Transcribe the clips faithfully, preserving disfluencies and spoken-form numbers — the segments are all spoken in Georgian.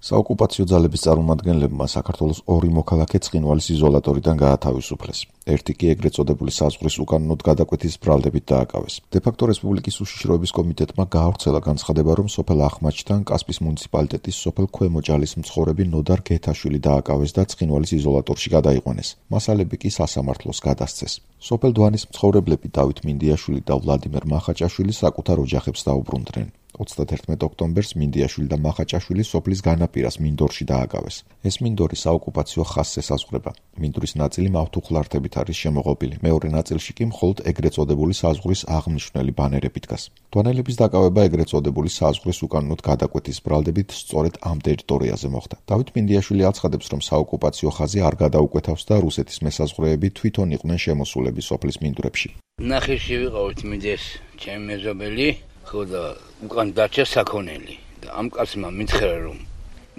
საოკუპაციო ძალების წარმომადგენლებმა საქართველოს ორი მოქალაქე ცხინვალის იზოლატორიდან გაათავისუფლეს. ერთი კი ეგრეთ წოდებული საზღვრის უკანონოდ გადაკვეთის ბრალდებით დააკავეს. დე-ფაქტო რესპუბლიკის უშიშროების კომიტეტმა გაავრცელა განცხადება, რომ სოფელ ახმაჩთან კასპის მუნიციპალიტეტის სოფელ ქვემოჭალის მცხოვრები ნოდარ გეთაშვილი დააკავეს და ცხინვალის იზოლატორში გადაიყვანეს. მასალები კი სასამართლოს გადასცეს. სოფელ დვანის მცხოვრებლები დავით მინდიაშვილი და ვლადიმერ მახაჭაშვილი საკუთარ ოჯახებს დაუბრუნდნენ. ოცდაათერთმეტ ოქტომბერს მინდიაშვილი და მახაჭაშვილი სოფლის განაპირას მინდორში დააკავეს. ეს მინდორი საოკუპაციო ხაზს ესაზღვრება. მინდვრის ნაწილი მავთუხლართებით არის შემოღობილი. მეორე ნაწილში კი მხოლოდ ეგრეთ წოდებული საზღვრის აღმნიშვნელი ბანერები დგას. დვანელების დაკავება ეგრეთ წოდებული საზღვრის უკანონოდ გადაკვეთის ბრალდებით სწორედ ამ ტერიტორიაზე მოხდა. დავით მინდიაშვილი აცხადებს, რომ საოკუპაციო ხაზი არ გადაუკვეთავს და რუსეთის მესაზღვრეები თვითონ იყვნენ შემოსულები სოფლის მინდვრებში. ნახიში ვიყავით მიდეს ჩემი მეზობელი ხოდა უკან დარჩა საქონელი და ამ კაცმა მითხრა რომ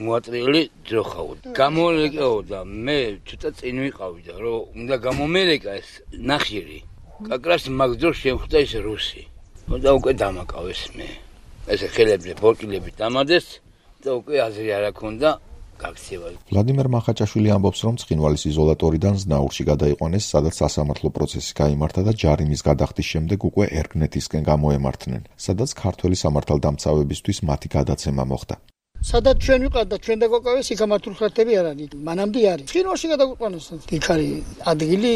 მოატრიელი ძროხავ. გამოლეკაო და მე ცოტა წინ ვიყავი და რომ უნდა გამომერეკა ეს ნახირი. კაკრას მაგძროს შემხვდა ეს რუსი. და უკვე დამაკავეს მე. ესე ხელებზე ბორკილები დამადეს და უკვე აზრი არ აქონდა გაქცევა. ვლადიმერ მახაჭაშვილი ამბობს, რომ ცხინვალის იზოლატორიდან ზნაურში გადაიყვანეს, სადაც სასამართლო პროცესი გაიმართა და ჯარიმის გადახდის შემდეგ უკვე ერგნეთისკენ გამოემართნენ, სადაც ქართველი სამართალდამცავებისთვის მათი გადაცემა მოხდა. სადაც ჩვენ ვიყავთ და ჩვენ დაგვაკავეს, იქ მართულხარდები არ არის. მანამდე არის. ცხინვალში გადაგვიყვანეს. იქ არის ადგილი,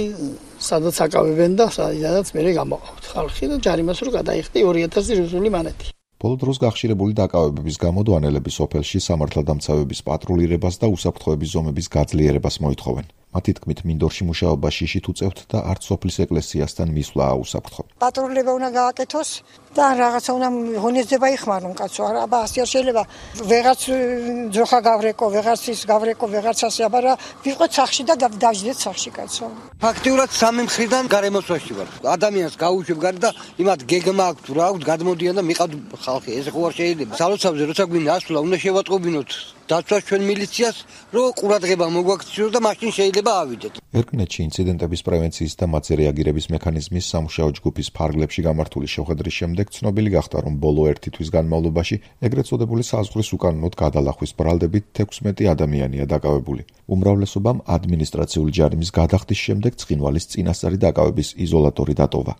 სადაც აკავებენ და სადაც მე გამოყავთ ხალხი და ჯარიმას რო გადაიხდი ორი ათასი რუსული მანეთი. ბოლო დროს გახშირებული დაკავებების გამო დვანელები სოფელში სამართალდამცავების პატრულირებას და უსაფრთხოების ზომების გაძლიერებას მოითხოვენ. მათი თქმით, მინდორში მუშაობა შიშით უწევთ და არც სოფლის ეკლესიასთან მისვლა აუსაფრთხო. პატრულირება უნდა გააკეთოს და რაღაცა უნდა ღონისძიება იხმარონ კაცო. აბა ასე არ შეიძლება ვეღაც ძროხა გავრეკო, ვეღაც ის გავრეკო, ვეღაც ასე, აბა ვიყოთ სახში და დავждეთ სახში კაცო. ფაქტიურად სამი მხრიდან გარემოსვაში ვარ. ადამიანს გაუშვებ გარი და იმათ გეგმა აქვს თუ რა აქვს გადმოდიან და მიყავთ ხალხი. ეს ხო არ შეიძლება. სალოცავზე როცა გვინდა ასვლა, უნდა შევატყობინოთ დაცვას ჩვენ მილიციას, რომ ყურადღება მოგვაქციოს და მაშინ შეიძლება ავიდეთ. ერგნეთში ინციდენტების პრევენციის და მათზე რეაგირების მექანიზმის სამუშაო ჯგუფის ფარგლებში გამართული შეხვედრის შემდეგ ცნობილი გახდა, რომ ბოლო ერთი თვის განმავლობაში ეგრეთ წოდებული საზღვრის უკანონოდ გადალახვის ბრალდებით თექვსმეტი ადამიანია დაკავებული. უმრავლესობამ ადმინისტრაციული ჯარიმის გადახდის შემდეგ ცხინვალის წინასწარი დაკავების იზოლატორი დატოვა.